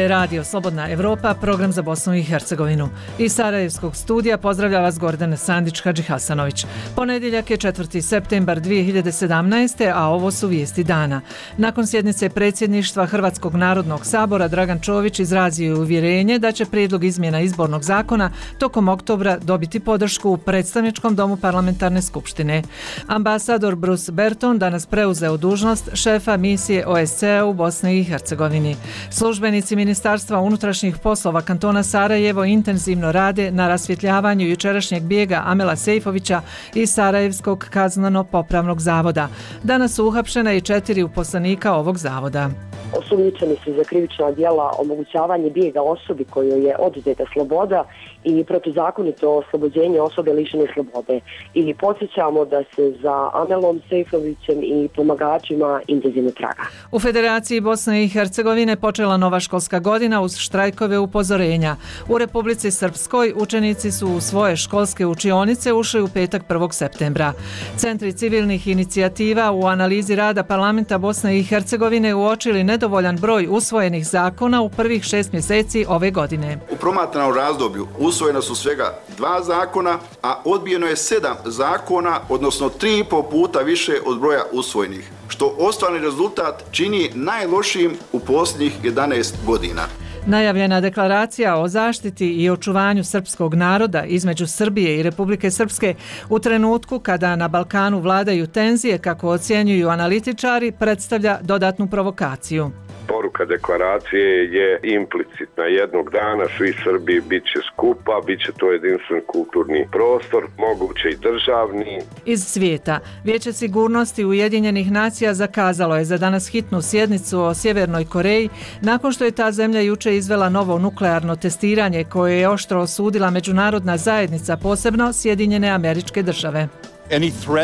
Radio Slobodna Evropa, program za Bosnu i Hercegovinu. Iz Sarajevskog studija pozdravlja vas Gordana Sandić-Hadžihasanović. Ponedjeljak je 4. septembar 2017. a ovo su vijesti dana. Nakon sjednice predsjedništva Hrvatskog narodnog sabora Dragan Čović izrazio je uvjerenje da će prijedlog izmjena izbornog zakona tokom oktobra dobiti podršku u predstavničkom domu parlamentarne skupštine. Ambasador Bruce Berton danas preuzeo dužnost šefa misije OSCE u Bosni i Hercegovini. Službenici Ministarstva unutrašnjih poslova kantona Sarajevo intenzivno rade na rasvjetljavanju jučerašnjeg bijega Amela Sejfovića iz Sarajevskog kazneno-popravnog zavoda. Danas su uhapšena i 4 uposlenika ovog zavoda. Osumnjičeni su za krivična djela omogućavanje bijega osobi kojoj je oduzeta sloboda i protuzakonito oslobođenje osobe lišene slobode. I podsjećamo da se za Amelom Sejfovićem i pomagačima intenzivno traga. U Federaciji Bosne i Hercegovine počela nova školska godina uz štrajkove upozorenja. U Republici Srpskoj učenici su u svoje školske učionice ušli u petak 1. septembra. Centri civilnih inicijativa u analizi rada parlamenta Bosne i Hercegovine uočili nedovoljan broj usvojenih zakona u prvih 6 mjeseci ove godine. U promatranom razdoblju usvojena su svega 2 zakona, a odbijeno je 7 zakona, odnosno 3,5 puta više od broja usvojenih, što ostvareni rezultat čini najlošijim u posljednjih 11 godina. Najavljena deklaracija o zaštiti i očuvanju srpskog naroda između Srbije i Republike Srpske u trenutku kada na Balkanu vladaju tenzije, kako ocjenjuju analitičari, predstavlja dodatnu provokaciju. Poruka deklaracije je implicitna. Jednog dana svi Srbi bit će skupa, bit će to jedinstven kulturni prostor, moguće i državni. Iz svijeta. Vijeće sigurnosti Ujedinjenih nacija zakazalo je za danas hitnu sjednicu o Sjevernoj Koreji nakon što je ta zemlja juče izvela novo nuklearno testiranje koje je oštro osudila međunarodna zajednica, posebno Sjedinjene Američke Države.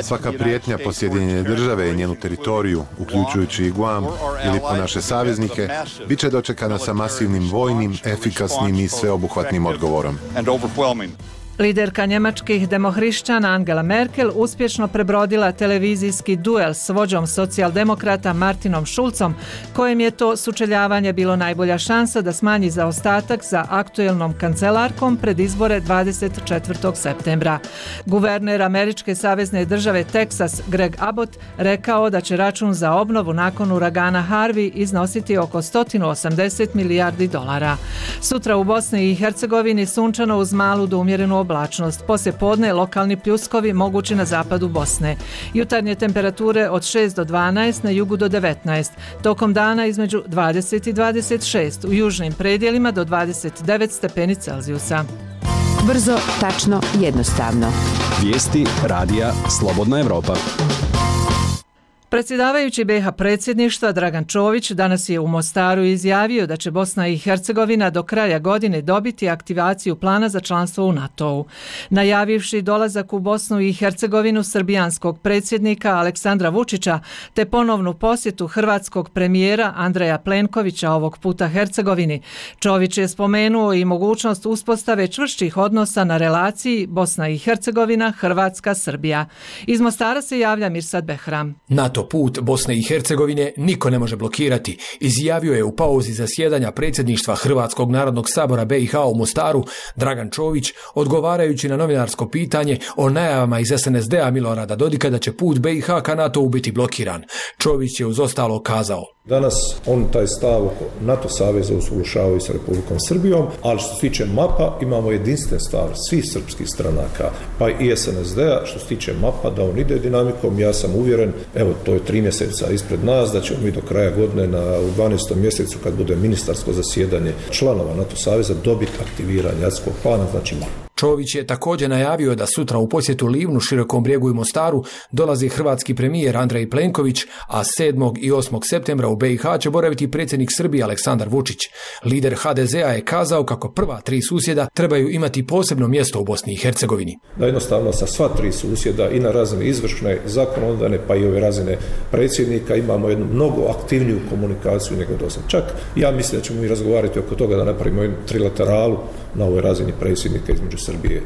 Svaka prijetnja po Sjedinjene Države i njenu teritoriju, uključujući i Guam ili po naše saveznike, bit će dočekana sa masivnim vojnim, efikasnim i sveobuhvatnim odgovorom. Liderka njemačkih demohrišćana Angela Merkel uspješno prebrodila televizijski duel s vođom socijaldemokrata Martinom Schulzom, kojem je to sučeljavanje bilo najbolja šansa da smanji zaostatak za aktuelnom kancelarkom pred izbore 24. septembra. Guverner američke savezne države Teksas Greg Abbott rekao da će račun za obnovu nakon uragana Harvey iznositi oko $180 milijardi. Sutra u Bosni i Hercegovini sunčano uz malu do umjerenu oblačnost. Poslije podne lokalni pljuskovi mogući na zapadu Bosne. Jutarnje temperature od 6 do 12, na jugu do 19. Tokom dana između 20 i 26, u južnim predjelima do 29 stepeni Celzijusa. Brzo, tačno, jednostavno. Vijesti radija Slobodna Evropa. Predsjedavajući BiH predsjedništva Dragan Čović danas je u Mostaru izjavio da će Bosna i Hercegovina do kraja godine dobiti aktivaciju plana za članstvo u NATO-u. Najavivši dolazak u Bosnu i Hercegovinu srbijanskog predsjednika Aleksandra Vučića te ponovnu posjetu hrvatskog premijera Andreja Plenkovića ovog puta Hercegovini, Čović je spomenuo i mogućnost uspostave čvršćih odnosa na relaciji Bosna i Hercegovina, Hrvatska, Srbija. Iz Mostara se javlja Mirsad Behram. NATO put Bosne i Hercegovine niko ne može blokirati, izjavio je u pauzi zasjedanja predsjedništva Hrvatskog narodnog sabora BiH u Mostaru Dragan Čović, odgovarajući na novinarsko pitanje o najavama iz SNSD-a Milorada Dodika da će put BiH ka NATO-u biti blokiran. Čović je uz ostalo kazao: Danas on taj stav oko NATO saveza usuglašavaju s Republikom Srbijom, ali što se tiče mapa imamo jedinstven stav svih srpskih stranaka, pa i SNSD-a što se tiče mapa da on ide dinamikom. Ja sam uvjeren, evo to je 3 mjeseca ispred nas, da ćemo mi do kraja godine u 12. mjesecu kad bude ministarsko zasjedanje članova NATO saveza dobiti aktiviranje akcijskog plana, znači mapa. Čović je također najavio da sutra u posjetu Livnu, Širokom Brijegu i Mostaru dolazi hrvatski premijer Andrej Plenković, a 7. i 8. septembra u BiH će boraviti predsjednik Srbije Aleksandar Vučić. Lider HDZ-a je kazao kako prva 3 susjeda trebaju imati posebno mjesto u Bosni i Hercegovini. Da jednostavno sa sva 3 susjeda i na razine izvršne, zakonodavne pa i ove razine predsjednika imamo jednu mnogo aktivniju komunikaciju nego do sad. Čak ja mislim da ćemo mi razgovarati oko toga da napravimo jednu trilateralu na ovoj razini predsjednika između Srbije,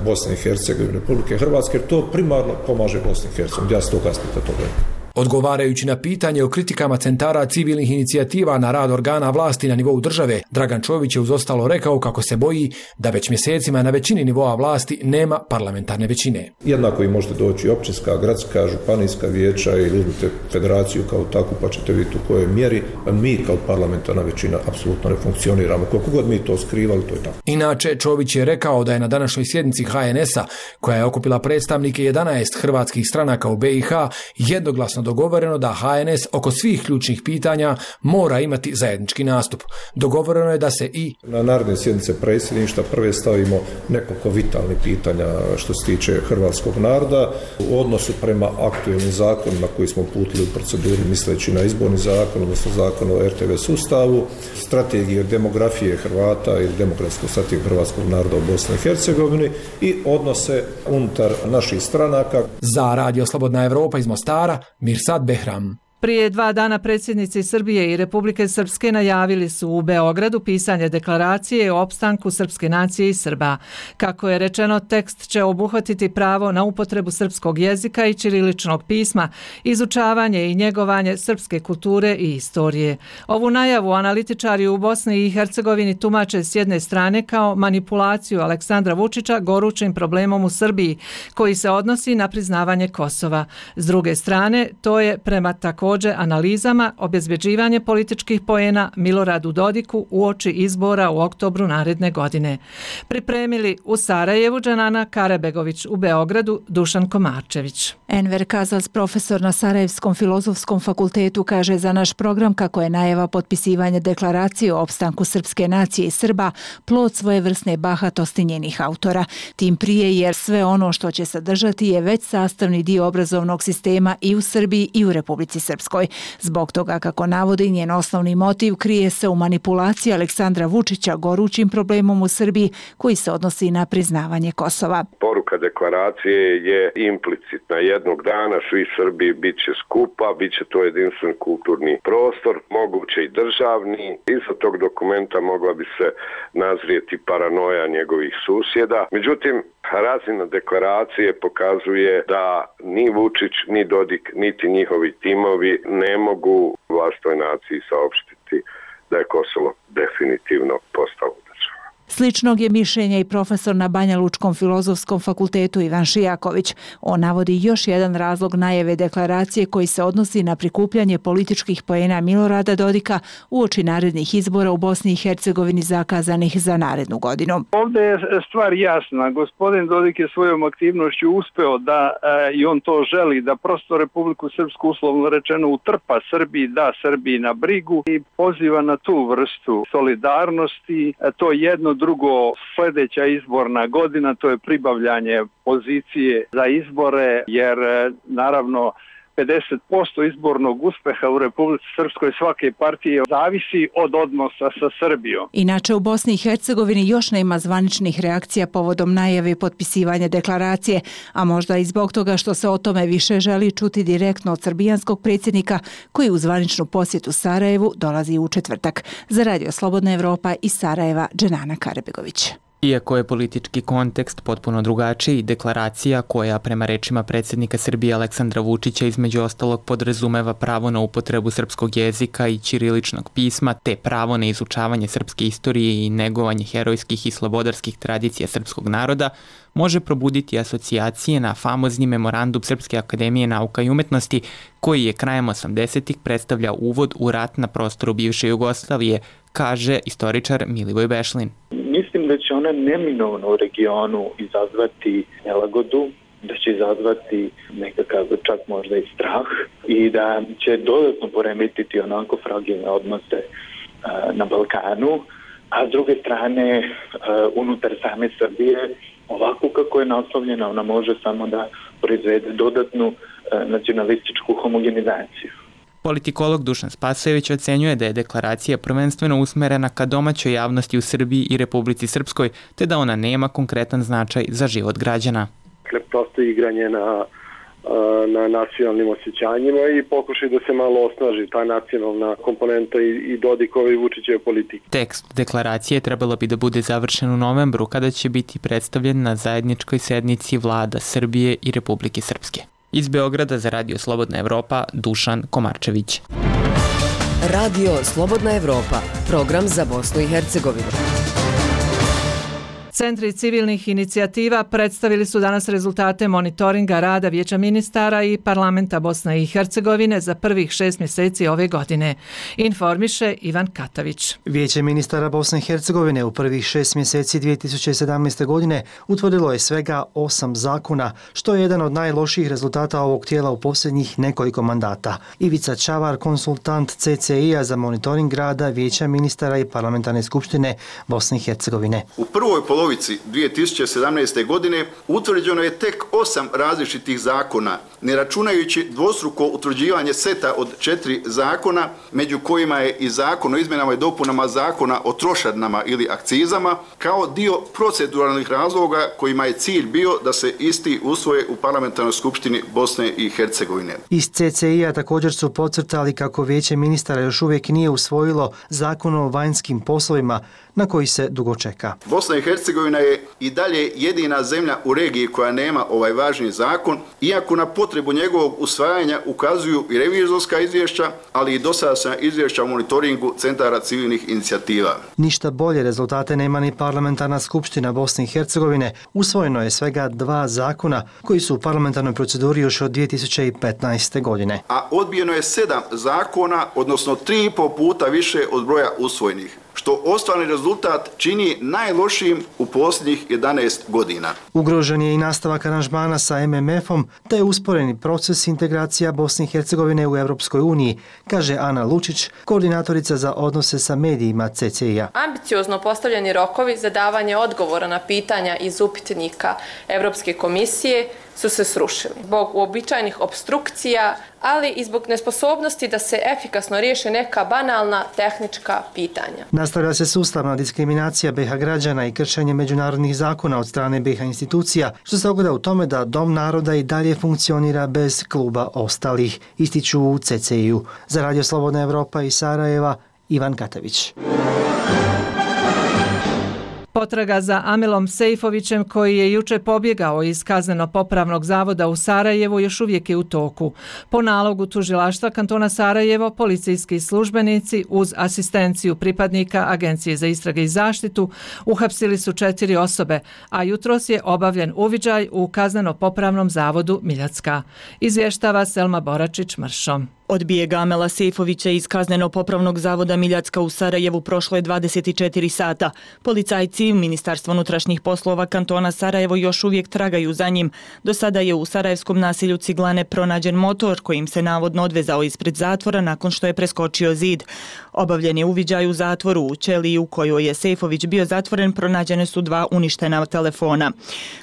Bosne i Hercegovine, Republike Hrvatske, jer to primarno pomaže Bosni i Hercegovini. Ja s tog aspekta to gledam. Odgovarajući na pitanje o kritikama centara civilnih inicijativa na rad organa vlasti na nivou države, Dragan Čović je uz ostalo rekao kako se boji da već mjesecima na većini nivoa vlasti nema parlamentarne većine. Jednako i možete doći općinska, gradska, županijska vijeća ili uzmite federaciju kao takvu pa ćete vidjeti u kojoj mjeri mi kao parlamentarna većina apsolutno ne funkcioniramo. Koliko god mi to skrivali, to je tako. Inače, Čović je rekao da je na današnjoj sjednici HNS-a, koja je okupila predstavnike 11 hrvatskih stranaka u BiH, jednoglasno dogovoreno da HNS oko svih ključnih pitanja mora imati zajednički nastup. Dogovoreno je da se i na naredne sjednice predsjedništva prve stavimo nekoliko vitalnih pitanja što se tiče hrvatskog naroda u odnosu prema aktualnim zakonima koji smo uputili u proceduri misleći na izborni zakon, odnosno zakon o RTV sustavu, strategije demografije Hrvata i demokratsku strategiju hrvatskog naroda u Bosni i Hercegovini i odnose unutar naših stranaka. Za Radio Slobodna Evropa iz Mostara, Mirsad Behram. Prije 2 dana predsjednici Srbije i Republike Srpske najavili su u Beogradu pisanje deklaracije o opstanku srpske nacije i Srba. Kako je rečeno, tekst će obuhvatiti pravo na upotrebu srpskog jezika i ćiriličnog pisma, izučavanje i njegovanje srpske kulture i istorije. Ovu najavu analitičari u Bosni i Hercegovini tumače s jedne strane kao manipulaciju Aleksandra Vučića gorućim problemom u Srbiji, koji se odnosi na priznavanje Kosova. S druge strane, to je prema također analizama obezbeđivanje političkih poena Miloradu Dodiku uoči izbora u oktobru naredne godine. Pripremili u Sarajevu Dženana Karabegović, u Beogradu Dušan Komarčević. Enver Kazac, profesor na Sarajevskom filozofskom fakultetu, kaže za naš program kako je najava potpisivanja deklaracije o opstanku srpske nacije i Srba plod svojevrsne bahatosti njenih autora. Tim prije jer sve ono što će sadržati je već sastavni dio obrazovnog sistema i u Srbiji i u Republici Srpskoj. Zbog toga, kako navodi, njen osnovni motiv krije se u manipulaciji Aleksandra Vučića gorućim problemom u Srbiji koji se odnosi na priznavanje Kosova. Poruka deklaracije je implicitna. Jednog dana svi Srbi bit će skupa, bit će to jedinstven kulturni prostor, moguće i državni. Iza tog dokumenta mogla bi se nazrijeti paranoja njegovih susjeda. Međutim, razina deklaracije pokazuje da ni Vučić, ni Dodik, niti njihovi timovi ne mogu vlastnoj naciji saopštiti da je Kosovo definitivno postalo država. Sličnog je mišljenja i profesor na Banja Lučkom filozofskom fakultetu Ivan Šijaković. On navodi još jedan razlog najave deklaracije koji se odnosi na prikupljanje političkih poena Milorada Dodika uoči narednih izbora u Bosni i Hercegovini zakazanih za narednu godinu. Ovdje je stvar jasna. Gospodin Dodik je svojom aktivnošću uspeo da, i on to želi, da prosto Republiku Srpsku uslovno rečeno utrpa Srbiji, da Srbiji na brigu i poziva na tu vrstu solidarnosti. To je jedno. Drugo, sljedeća izborna godina, to je pribavljanje pozicije za izbore, jer naravno 50% izbornog uspeha u Republici Srpskoj svake partije zavisi od odnosa sa Srbijom. Inače, u Bosni i Hercegovini još nema zvaničnih reakcija povodom najave potpisivanja deklaracije, a možda i zbog toga što se o tome više želi čuti direktno od srbijanskog predsjednika koji u zvaničnu posjetu Sarajevu dolazi u četvrtak. Za Radio Slobodna Evropa iz Sarajeva, Dženana Karabegović. Iako je politički kontekst potpuno drugačiji, deklaracija koja prema rečima predsjednika Srbije Aleksandra Vučića između ostalog podrazumeva pravo na upotrebu srpskog jezika i ćiriličnog pisma te pravo na izučavanje srpske istorije i negovanje herojskih i slobodarskih tradicija srpskog naroda, može probuditi asocijacije na famozni memorandum Srpske akademije nauka i umetnosti koji je krajem 80-ih predstavlja uvod u rat na prostoru bivše Jugoslavije, kaže istoričar Milivoj Bešlin. Mislim da će ona neminovno u regionu izazvati nelagodu, da će izazvati nekakav čak možda i strah i da će dodatno poremetiti onako fragilne odnose na Balkanu, a s druge strane unutar same Srbije ovako kako je naslovljena ona može samo da proizvede dodatnu nacionalističku homogenizaciju. Politikolog Dušan Spasojević ocenjuje da je deklaracija prvenstveno usmerena ka domaćoj javnosti u Srbiji i Republici Srpskoj, te da ona nema konkretan značaj za život građana. Prosto igranje na nacionalnim osjećanjima i pokušaj da se malo osnaži ta nacionalna komponenta i Dodikove i Vučićeve politike. Tekst deklaracije trebalo bi da bude završen u novembru kada će biti predstavljen na zajedničkoj sednici vlada Srbije i Republike Srpske. Iz Beograda za Radio Slobodna Evropa, Dušan Komarčević. Radio Slobodna Evropa, program za Bosnu i Hercegovinu. Centri civilnih inicijativa predstavili su danas rezultate monitoringa rada Vijeća ministara i Parlamenta Bosne i Hercegovine za prvih 6 mjeseci ove godine. Informiše Ivan Katavić. Vijeće ministara Bosne i Hercegovine u prvih 6 mjeseci 2017. godine utvrdilo je svega 8 zakona, što je jedan od najlošijih rezultata ovog tijela u posljednjih nekoliko mandata. Ivica Čavar, konsultant CCI-a za monitoring rada Vijeća ministara i Parlamentarne skupštine Bosne i Hercegovine. U prvoj polovici 2017. godine utvrđeno je tek 8 različitih zakona, ne računajući dvostruko utvrđivanje seta od 4 zakona, među kojima je i zakon o izmjenama i dopunama zakona o trošarinama ili akcizama, kao dio proceduralnih razloga kojima je cilj bio da se isti usvoje u Parlamentarnoj skupštini Bosne i Hercegovine. Iz CCI-a također su podcrtali kako Vijeće ministara još uvijek nije usvojilo zakon o vanjskim poslovima, na koji se dugo čeka. Bosna i Hercegovina je i dalje jedina zemlja u regiji koja nema ovaj važni zakon, iako na potrebu njegovog usvajanja ukazuju i revizorska izvješća, ali i dosadašnja izvješća o monitoringu centara civilnih inicijativa. Ništa bolje rezultate nema ni Parlamentarna skupština Bosne i Hercegovine. Usvojeno je svega 2 zakona koji su u parlamentarnoj proceduri još od 2015. godine. A odbijeno je 7 zakona, odnosno 3,5 puta više od broja usvojenih, što ostvareni rezultat čini najlošijim u posljednjih 11 godina. Ugrožen je i nastavak aranžmana sa MMF-om, te je usporeni proces integracija Bosne i Hercegovine u Europskoj uniji, kaže Ana Lučić, koordinatorica za odnose sa medijima CCI-a. Ambiciozno postavljeni rokovi za davanje odgovora na pitanja iz upitnika Europske komisije su se srušili zbog uobičajenih opstrukcija, ali i zbog nesposobnosti da se efikasno riješe neka banalna tehnička pitanja. Nastavlja se sustavna diskriminacija BiH građana i kršenje međunarodnih zakona od strane BiH institucija, što se ogleda u tome da Dom naroda i dalje funkcionira bez kluba ostalih, ističu u CCI-u. Za Radio Slobodna Evropa iz Sarajeva, Ivan Katavić. Potraga za Amilom Sejfovićem, koji je juče pobjegao iz kazneno-popravnog zavoda u Sarajevu, još uvijek je u toku. Po nalogu tužilaštva kantona Sarajevo, policijski službenici uz asistenciju pripadnika Agencije za istrage i zaštitu uhapsili su 4 osobe, a jutros je obavljen uviđaj u kazneno-popravnom zavodu Miljacka. Izvještava Selma Boračić-Mršo. Od bijega Amela Sejfovića iz kazneno-popravnog zavoda Miljacka u Sarajevu prošlo je 24 sata. Policajci Ministarstva unutrašnjih poslova kantona Sarajevo još uvijek tragaju za njim. Do sada je u sarajevskom naselju Ciglane pronađen motor kojim se navodno odvezao ispred zatvora nakon što je preskočio zid. Obavljen je uviđaj u zatvoru. U ćeliji u kojoj je Sejfović bio zatvoren pronađene su 2 uništena telefona.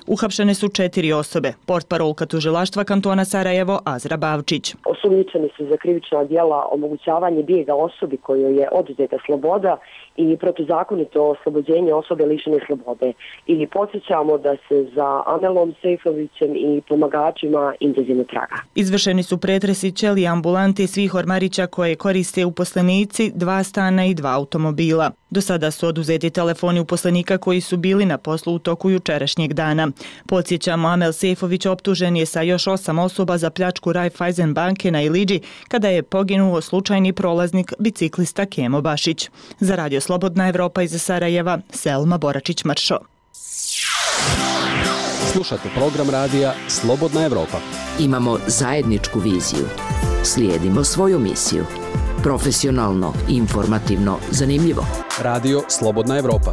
Uhapšene su 4 osobe. Portparolka tužilaštva kantona Sarajevo Azra Bavčić. Osumnjičeni su za krivična djela omogućavanje bijega osobi kojoj je oduzeta sloboda i protuzakonito oslobođenje osobe lišene slobode. I podsjećamo da se za Amelom Sejfovićem i pomagačima intenzivno traga. Izvršeni su pretresi ćelije ambulante svih ormarića koje koriste uposlenici, 2 stana i 2 automobila. Do sada su oduzeti telefoni uposlenika koji su bili na poslu u toku jučerašnjeg dana. Podsjećamo, Amel Sejfović optužen je sa još 8 osoba za pljačku Raiffeisen banke na Iliđi kada je poginuo slučajni prolaznik biciklista Kemo Bašić. Za Radio Slobodna Evropa iz Sarajeva, Selma Boračić-Mršo. Slušate program radija Slobodna Evropa. Imamo zajedničku viziju. Slijedimo svoju misiju. Profesionalno, informativno, zanimljivo. Radio Slobodna Evropa.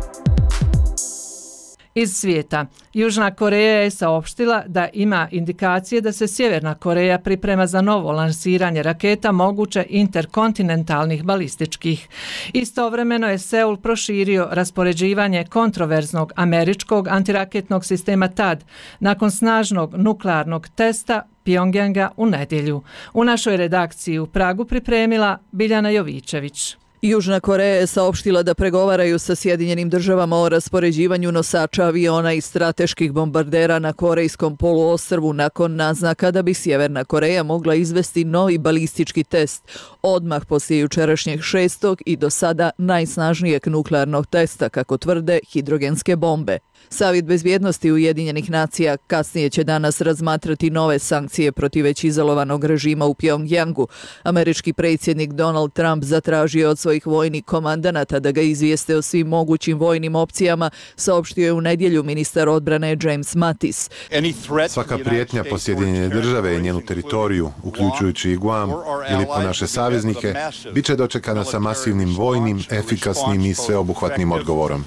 Iz svijeta. Južna Koreja je saopštila da ima indikacije da se Sjeverna Koreja priprema za novo lansiranje raketa moguće interkontinentalnih balističkih. Istovremeno je Seul proširio raspoređivanje kontroverznog američkog antiraketnog sistema THAAD nakon snažnog nuklearnog testa Pjongjanga u nedjelju. U našoj redakciji u Pragu pripremila Biljana Jovičević. Južna Koreja je saopštila da pregovaraju sa Sjedinjenim državama o raspoređivanju nosača aviona i strateških bombardera na Korejskom poluostrvu nakon naznaka da bi Sjeverna Koreja mogla izvesti novi balistički test odmah poslije jučerašnjeg 6. i do sada najsnažnijeg nuklearnog testa, kako tvrde, hidrogenske bombe. Savjet bezbjednosti Ujedinjenih nacija kasnije će danas razmatrati nove sankcije protiv već izolovanog režima u Pjongjangu. Američki predsjednik Donald Trump zatražio od svojih vojnih komandanata da ga izvijeste o svim mogućim vojnim opcijama, saopštio je u nedjelju ministar odbrane James Mattis. Svaka prijetnja po Sjedinjene države i njenu teritoriju, uključujući i Guam ili po naše saveznike, bit će dočekana sa masivnim vojnim, efikasnim i sveobuhvatnim odgovorom.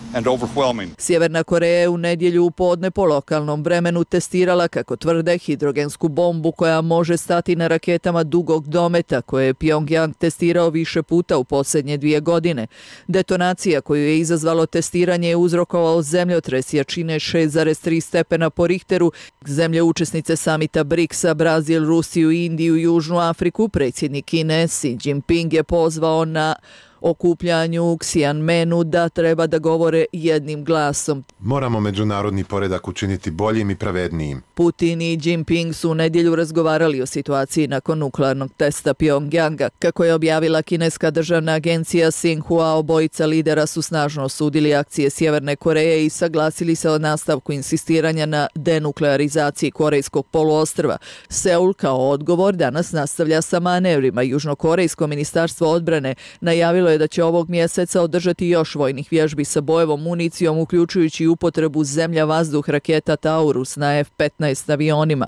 Sjeverna Koreja je u nedjelju u podne po lokalnom vremenu testirala, kako tvrde, hidrogensku bombu koja može stati na raketama dugog dometa koje je Pjongjang testirao više puta u posljednje 2 godine. Detonacija koju je izazvalo testiranje je uzrokovao zemljotres jačine 6,3 stepena po Richteru. Zemlje učesnice samita BRICS-a, Brazil, Rusiju, Indiju i Južnu Afriku, predsjednik Kine Xi Jinping je pozvao na okupljanju u Xianmenu da treba da govore jednim glasom. Moramo međunarodni poredak učiniti boljim i pravednijim. Putin i Jinping su u nedjelju razgovarali o situaciji nakon nuklearnog testa Pjongjanga. Kako je objavila kineska državna agencija Xinhua, obojica lidera su snažno osudili akcije Sjeverne Koreje i saglasili se o nastavku insistiranja na denuklearizaciji Korejskog poluostrva. Seul kao odgovor danas nastavlja sa manevrima. Južnokorejsko ministarstvo odbrane najavilo je da će ovog mjeseca održati još vojnih vježbi sa bojevom municijom, uključujući upotrebu zemlja-vazduh raketa Taurus na F-15 avionima.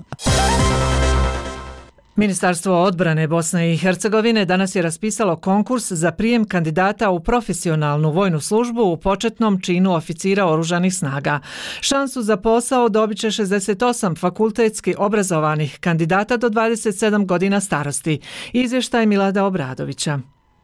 Ministarstvo odbrane Bosne i Hercegovine danas je raspisalo konkurs za prijem kandidata u profesionalnu vojnu službu u početnom činu oficira oružanih snaga. Šansu za posao dobit će 68 fakultetski obrazovanih kandidata do 27 godina starosti. Izvještaj Milada Obradovića.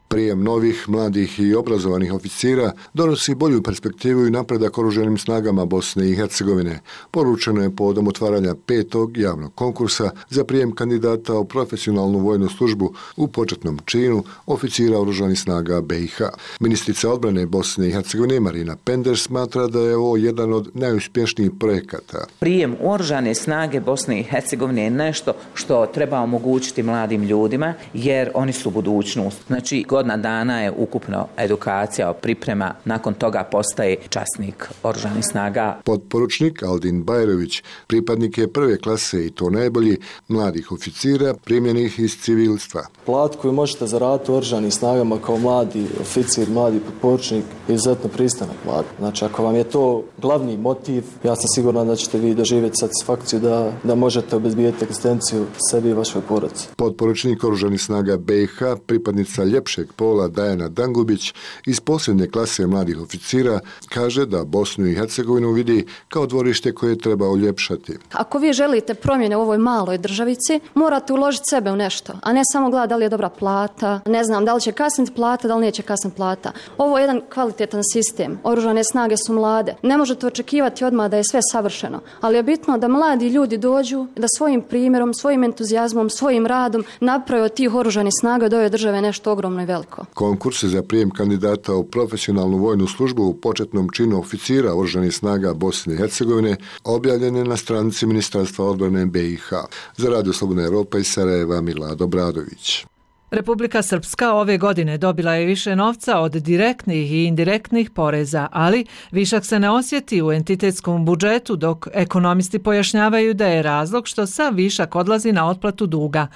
Prijem novih, mladih i obrazovanih oficira donosi bolju perspektivu i napredak oružanim snagama Bosne i Hercegovine. Poručeno je povodom otvaranja 5. javnog konkursa za prijem kandidata u profesionalnu vojnu službu u početnom činu oficira oružanih snaga BiH. Ministrica odbrane Bosne i Hercegovine Marina Pender smatra da je ovo jedan od najuspješnijih projekata. Prijem u oružane snage Bosne i Hercegovine je nešto što treba omogućiti mladim ljudima, jer oni su budućnost. Znači, godina dana je ukupno edukacija, priprema, nakon toga postaje časnik oružanih snaga. Potporučnik Aldin Bajrović pripadnik je prve klase i to najbolji mladih oficira primljenih iz civilstva. Plat koju možete zaraditi u oružanim snagama kao mladi oficir, mladi potporučnik je izuzetno pristanak plat. Znači, ako vam je to glavni motiv, ja sam siguran da ćete vi doživjeti satisfakciju da možete obezbijeti egzistenciju sebi i vašoj porodici. Potporučnik oružanih snaga BiH, pripadnica ljepšeg pola Dajana Dangubić iz posljednje klase mladih oficira kaže da Bosnu i Hercegovinu vidi kao dvorište koje treba uljepšati. Ako vi želite promjene u ovoj maloj državici, morate uložiti sebe u nešto, a ne samo gledati da li je dobra plata, ne znam da li će kasniti plata, da li neće kasniti plata. Ovo je jedan kvalitetan sistem. Oružane snage su mlade. Ne možete očekivati odmah da je sve savršeno, ali je bitno da mladi ljudi dođu da svojim primjerom, svojim entuzijazmom, svojim radom naprave od tih oružanih snaga od ove države nešto ogromno i veliko. Konkurs za prijem kandidata u profesionalnu vojnu službu u početnom činu oficira oružanih snaga Bosne i Hercegovine objavljen je na stranici Ministarstva odbrane BiH. Za Radio Slobodna Evropa iz Sarajeva Milad Obradović. Republika Srpska ove godine dobila je više novca od direktnih i indirektnih poreza, ali višak se ne osjeti u entitetskom budžetu, dok ekonomisti pojašnjavaju da je razlog što sav višak odlazi na otplatu duga.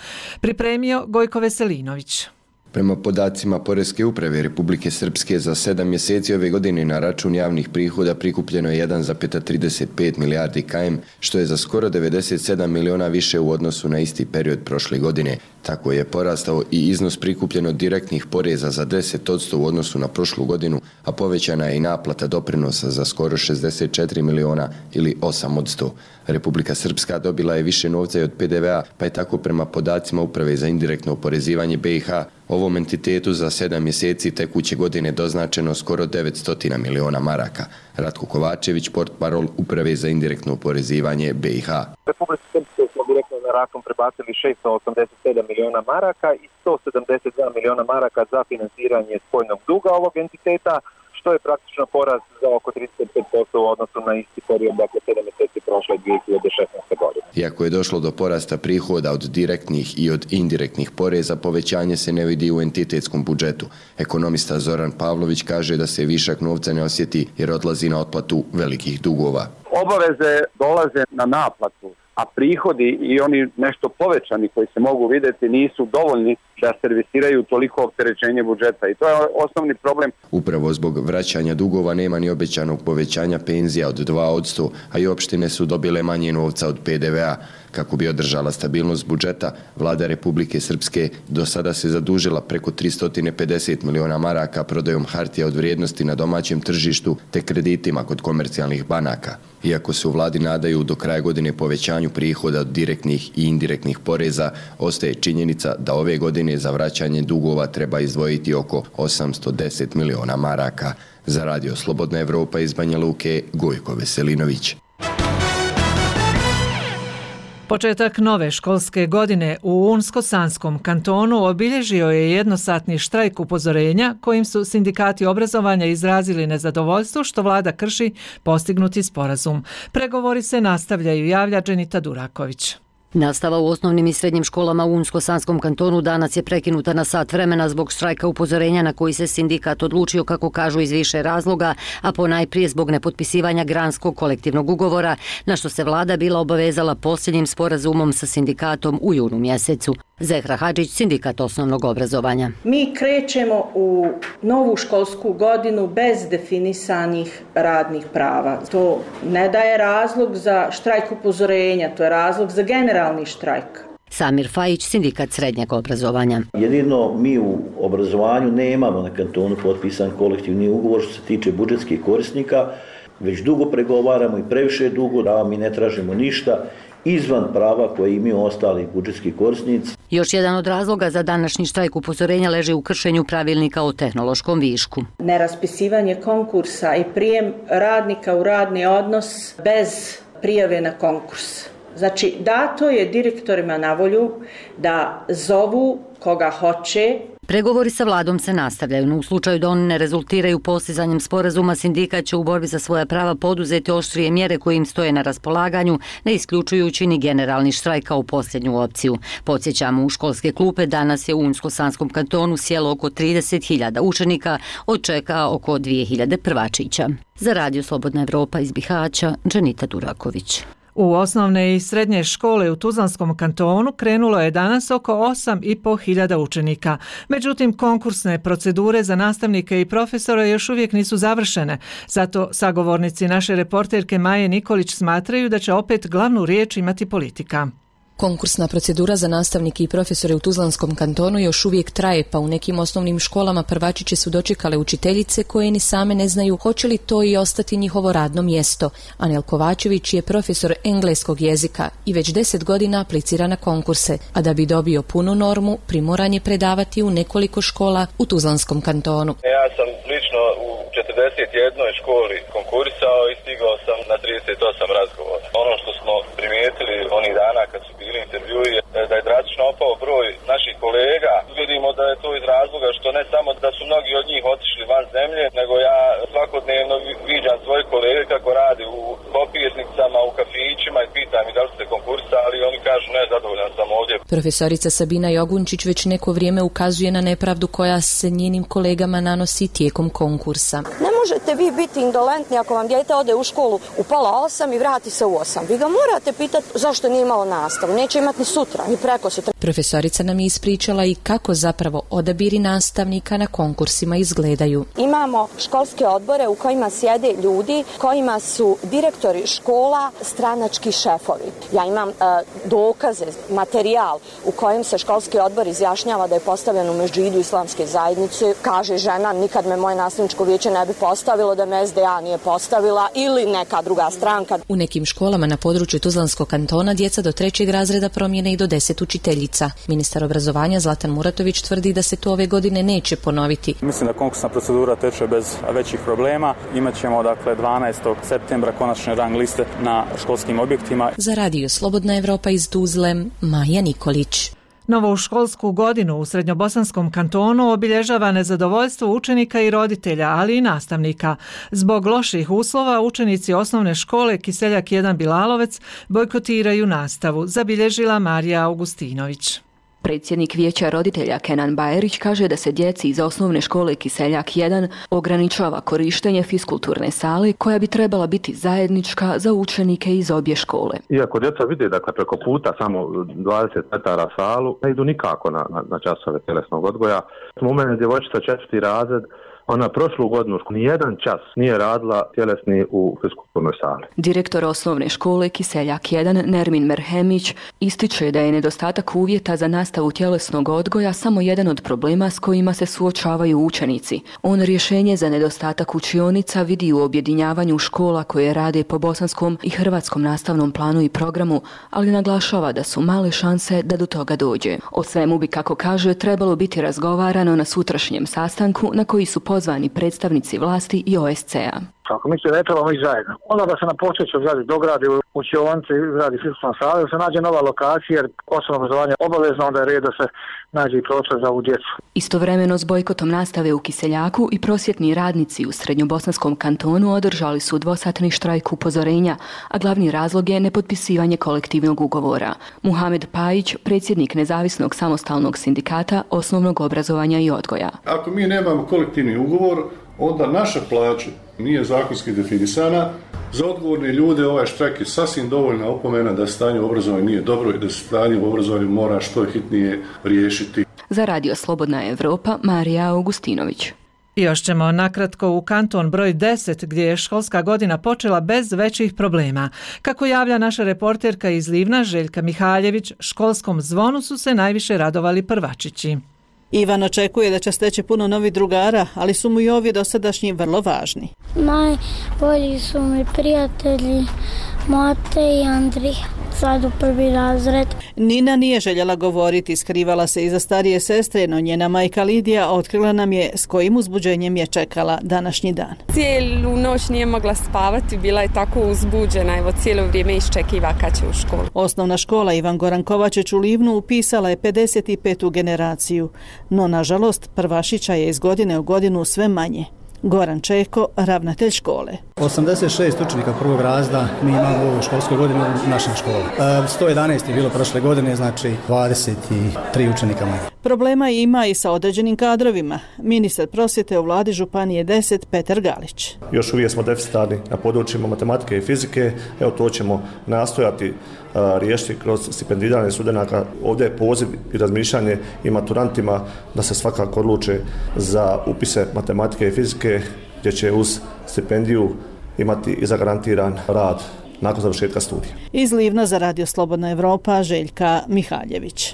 Pripremio Gojko Veselinović. Prema podacima Poreske uprave Republike Srpske za 7 mjeseci ove godine na račun javnih prihoda prikupljeno je 1,35 milijardi km, što je za skoro 97 miliona više u odnosu na isti period prošle godine. Tako je porastao i iznos prikupljeno direktnih poreza za 10% u odnosu na prošlu godinu, a povećana je i naplata doprinosa za skoro 64 miliona ili 8%. Republika Srpska dobila je više novca i od PDV-a, pa je tako prema podacima Uprave za indirektno oporezivanje BiH ovom entitetu za 7 mjeseci tekuće godine doznačeno skoro 900 miliona maraka. Ratko Kovačević, portparol Uprave za indirektno oporezivanje BiH. Republika Srpska smo direktno na račun prebacili 687 miliona maraka i 172 miliona maraka za financiranje spoljnog duga ovog entiteta, što je praktično porast za oko 35% u odnosu na isti period, dakle 7 mjeseci prošle 2016. godine. Iako je došlo do porasta prihoda od direktnih i od indirektnih poreza, povećanje se ne vidi u entitetskom budžetu. Ekonomista Zoran Pavlović kaže da se višak novca ne osjeti jer odlazi na otplatu velikih dugova. Obaveze dolaze na naplatu, a prihodi i oni nešto povećani koji se mogu vidjeti nisu dovoljni da servisiraju toliko opterećenje budžeta i to je osnovni problem. Upravo zbog vraćanja dugova nema ni obećanog povećanja penzija od 2%, a i opštine su dobile manje novca od PDV-a. Kako bi održala stabilnost budžeta, vlada Republike Srpske do sada se zadužila preko 350 miliona maraka prodajom hartija od vrijednosti na domaćem tržištu te kreditima kod komercijalnih banaka. Iako se u vladi nadaju do kraja godine povećanju prihoda od direktnih i indirektnih poreza, ostaje činjenica da ove godine za vraćanje dugova treba izdvojiti oko 810 miliona maraka. Za Radio Slobodna Evropa iz Banja Luke, Gojko Veselinović. Početak nove školske godine u Unsko-Sanskom kantonu obilježio je jednosatni štrajk upozorenja kojim su sindikati obrazovanja izrazili nezadovoljstvo što vlada krši postignuti sporazum. Pregovori se nastavljaju, javlja Dženita Duraković. Nastava u osnovnim i srednjim školama u Unsko-Sanskom kantonu danas je prekinuta na sat vremena zbog štrajka upozorenja na koji se sindikat odlučio, kako kažu, iz više razloga, a ponajprije zbog nepotpisivanja granskog kolektivnog ugovora, na što se vlada bila obavezala posljednjim sporazumom sa sindikatom u junu mjesecu. Zehra Hadžić, sindikat osnovnog obrazovanja. Mi krećemo u novu školsku godinu bez definisanih radnih prava. To ne daje razlog za štrajk upozorenja, to je razlog za generalni štrajk. Samir Fajić, sindikat srednjeg obrazovanja. Jedino mi u obrazovanju nemamo na kantonu potpisan kolektivni ugovor što se tiče budžetskih korisnika, već dugo pregovaramo i previše dugo, da mi ne tražimo ništa izvan prava koje imaju ostali budžetski korisnici. Još jedan od razloga za današnji štrajk upozorenja leži u kršenju pravilnika o tehnološkom višku. Neraspisivanje konkursa i prijem radnika u radni odnos bez prijave na konkurs. Znači, dato je direktorima na volju da zovu koga hoće. Pregovori sa vladom se nastavljaju, no u slučaju da oni ne rezultiraju postizanjem sporazuma, sindikat će u borbi za svoja prava poduzeti oštrije mjere koje im stoje na raspolaganju, ne isključujući ni generalni štrajk kao posljednju opciju. Podsjećamo, u školske klupe danas je u Unsko-Sanskom kantonu sjelo oko 30.000 učenika, od čega oko 2.000 prvačića. Za Radio Slobodna Evropa iz Bihaća, Dženita Duraković. U osnovne i srednje škole u Tuzlanskom kantonu krenulo je danas oko 8.500 učenika. Međutim, konkursne procedure za nastavnike i profesore još uvijek nisu završene. Zato sagovornici naše reporterke Maje Nikolić smatraju da će opet glavnu riječ imati politika. Konkursna procedura za nastavnike i profesore u Tuzlanskom kantonu još uvijek traje, pa u nekim osnovnim školama prvačiće su dočekale učiteljice koje ni same ne znaju hoće li to i ostati njihovo radno mjesto. Anel Kovačević je profesor engleskog jezika i već 10 godina aplicira na konkurse, a da bi dobio punu normu, primoran je predavati u nekoliko škola u Tuzlanskom kantonu. Ja sam lično u 41 školi konkurisao i stigao sam na 38 razgovora. Ono što smo primijetili onih dana kad su bili intervjui da je drastično opao broj naših kolega. Vidimo da je to iz razloga što ne samo da su mnogi od njih otišli van zemlje, nego ja svakodnevno viđam svoje kolege kako rade u kopirnicama, u kafićima i pitam i da li ste konkursali i oni kažu ne, zadovoljan sam ovdje. Profesorica Sabina Jogunčić već neko vrijeme ukazuje na nepravdu koja se njenim kolegama nanosi tijekom konkursa. Ne možete vi biti indolentni ako vam dijete ode u školu u 7:30 i vrati se u 8. Vi ga morate pitati zašto nije imalo nastavu. Neće imati ni sutra, ni preko sutra. Profesorica nam je ispričala i kako zapravo odabiri nastavnika na konkursima izgledaju. Imamo školske odbore u kojima sjede ljudi kojima su direktori škola stranački šefovi. Ja imam dokaze, materijal u kojem se školski odbor izjašnjava da je postavljen u Medžidu islamske zajednice. Kaže žena, nikad me moje nastavničko vijeće ne bi postavilo da me SDA nije postavila ili neka druga stranka. U nekim školama na području Tuzlanskog kantona djeca do 3. razreda promijene i do 10 učiteljica. Ministar obrazovanja Zlatan Muratović tvrdi da se to ove godine neće ponoviti. Mislim da konkursna procedura teče bez većih problema. Imaćemo 12. septembra konačne rang liste na školskim objektima. Za Radio Slobodna Evropa iz Tuzle, Maja Nikolić. Novu školsku godinu u Srednjobosanskom kantonu obilježava nezadovoljstvo učenika i roditelja, ali i nastavnika. Zbog loših uslova učenici osnovne škole Kiseljak 1 Bilalovec bojkotiraju nastavu, zabilježila Marija Augustinović. Predsjednik vijeća roditelja Kenan Bajerić kaže da se djeci iz osnovne škole Kiseljak 1 ograničava korištenje fiskulturne sale koja bi trebala biti zajednička za učenike iz obje škole. Iako djeca vide preko puta samo 20 metara salu, ne idu nikako na časove tjelesnog odgoja. U mene djevojčica 4. razred, ona prošlu godinu nijedan čas nije radila tjelesni u fiskulturnoj sali. Direktor osnovne škole Kiseljak 1 Nermin Merhemić ističe da je nedostatak uvjeta za nastavu tjelesnog odgoja samo jedan od problema s kojima se suočavaju učenici. On rješenje za nedostatak učionica vidi u objedinjavanju škola koje rade po bosanskom i hrvatskom nastavnom planu i programu, ali naglašava da su male šanse da do toga dođe. O svemu bi, kako kaže, trebalo biti razgovarano na sutrašnjem sastanku na koji su pozvani predstavnici vlasti i OSC-a. Ako misli da ne trebamo ići zajedno, onda da se na postojećoj zgradi dogradi učionice, izgradi fiskulturna sala, da se nađe nova lokacija, jer osnovno obrazovanje je obavezno, onda je red da se nađe i prostor za ovu djecu. Istovremeno s bojkotom nastave u Kiseljaku i prosvjetni radnici u Srednjobosanskom kantonu održali su dvosatni štrajk upozorenja, a glavni razlog je nepotpisivanje kolektivnog ugovora. Muhamed Pajić, predsjednik nezavisnog samostalnog sindikata osnovnog obrazovanja i odgoja. Ako mi nemamo kolektivni ugovor, onda naša plaća nije zakonski definisana. Za odgovorne ljude ovaj štrajk je sasvim dovoljna opomena da stanje u obrazovanju nije dobro i da se stanje u obrazovanju mora što hitnije riješiti. Za Radio Slobodna Evropa, Marija Augustinović. Još ćemo nakratko u kanton broj 10 gdje je školska godina počela bez većih problema. Kako javlja naša reporterka iz Livna Željka Mihaljević, školskom zvonu su se najviše radovali prvačići. Ivan očekuje da će steći puno novih drugara, ali su mu i ovi dosadašnji vrlo važni. Najbolji su mi prijatelji Mate i Andrija, sad u 1. razred. Nina nije željela govoriti, skrivala se iza starije sestre, no njena majka Lidija otkrila nam je s kojim uzbuđenjem je čekala današnji dan. Cijelu noć nije mogla spavati, bila je tako uzbuđena, evo cijelo vrijeme iščekiva kad će u školu. Osnovna škola Ivan Goran Kovačić u Livnu upisala je 55. generaciju, no nažalost prvašića je iz godine u godinu sve manje. Goran Čeko, ravnatelj škole. 86 učenika prvog razreda mi imamo u ovoj školskoj godini u našoj školi. 111 je bilo prošle godine, znači 23 učenika manje. Problema ima i sa određenim kadrovima. Ministar prosvjete u vladi Županije 10 Petar Galić. Još uvijek smo deficitarni na područjima matematike i fizike. Evo to ćemo nastojati riješiti kroz stipendiranje studenata. Ovdje je poziv i razmišljanje i maturantima da se svakako odluče za upise matematike i fizike, gdje će uz stipendiju imati i zagarantiran rad nakon završetka studija. Iz Livna za Radio Slobodna Evropa, Željka Mihaljević.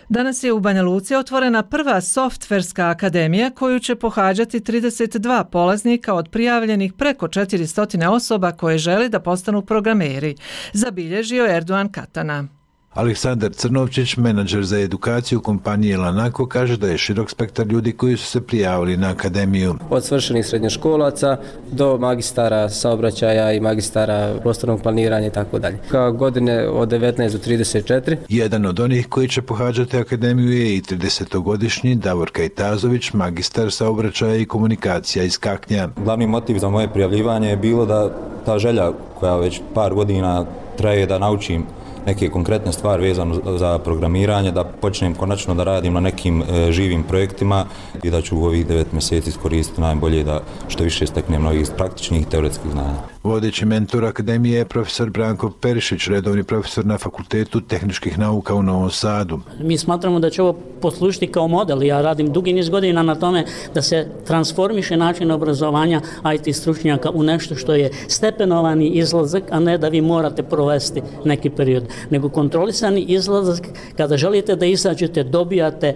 Danas je u Banja Luci otvorena prva softverska akademija koju će pohađati 32 polaznika od prijavljenih preko 400 osoba koje žele da postanu programeri, zabilježio Erdogan Katana. Aleksandar Crnovčić, menadžer za edukaciju kompanije Lanako, kaže da je širok spektar ljudi koji su se prijavili na akademiju. Od svršenih srednjoškolaca do magistara saobraćaja i magistara prostornog planiranja i tako dalje. Kao godine od 19 do 34. Jedan od onih koji će pohađati akademiju je i 30-godišnji Davor Kajtazović, magistar saobraćaja i komunikacija iz Kaknja. Glavni motiv za moje prijavljivanje je bilo da ta želja koja već par godina traje da naučim neke konkretne stvari vezano za programiranje, da počnem konačno da radim na nekim živim projektima i da ću u ovih 9 mjeseci iskoristiti najbolje da što više steknem novih praktičnih i teoretskih znanja. Vodeći mentor akademije je profesor Branko Perišić, redovni profesor na Fakultetu tehničkih nauka u Novom Sadu. Mi smatramo da će ovo poslužiti kao model. Ja radim dugi niz godina na tome da se transformiše način obrazovanja IT stručnjaka u nešto što je stepenovani izlazak, a ne da vi morate provesti neki period, nego kontrolisani izlazak. Kada želite da izađete, dobijate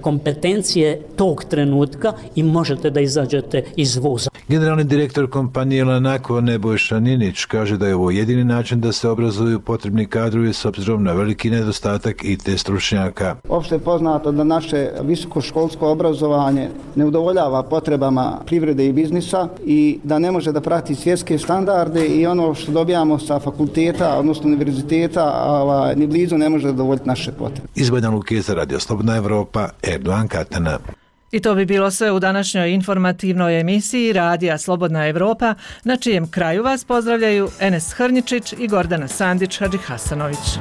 kompetencije tog trenutka i možete da izađete iz voza. Generalni direktor kompanije Lanako Nebojša Nebojša Ninić kaže da je ovo jedini način da se obrazuju potrebni kadrovi s obzirom na veliki nedostatak IT stručnjaka. Opšte je poznato da naše visokoškolsko obrazovanje ne udovoljava potrebama privrede i biznisa i da ne može da prati svjetske standarde i ono što dobijamo sa fakulteta, odnosno univerziteta, ni blizu ne može zadovoljiti naše potrebe. Iz Banja Luke za Radio Slobodna Evropa, Erdogan Katana. I to bi bilo sve u današnjoj informativnoj emisiji Radija Slobodna Evropa, na čijem kraju vas pozdravljaju Enes Hrničić i Gordana Sandić Hadžihasanović.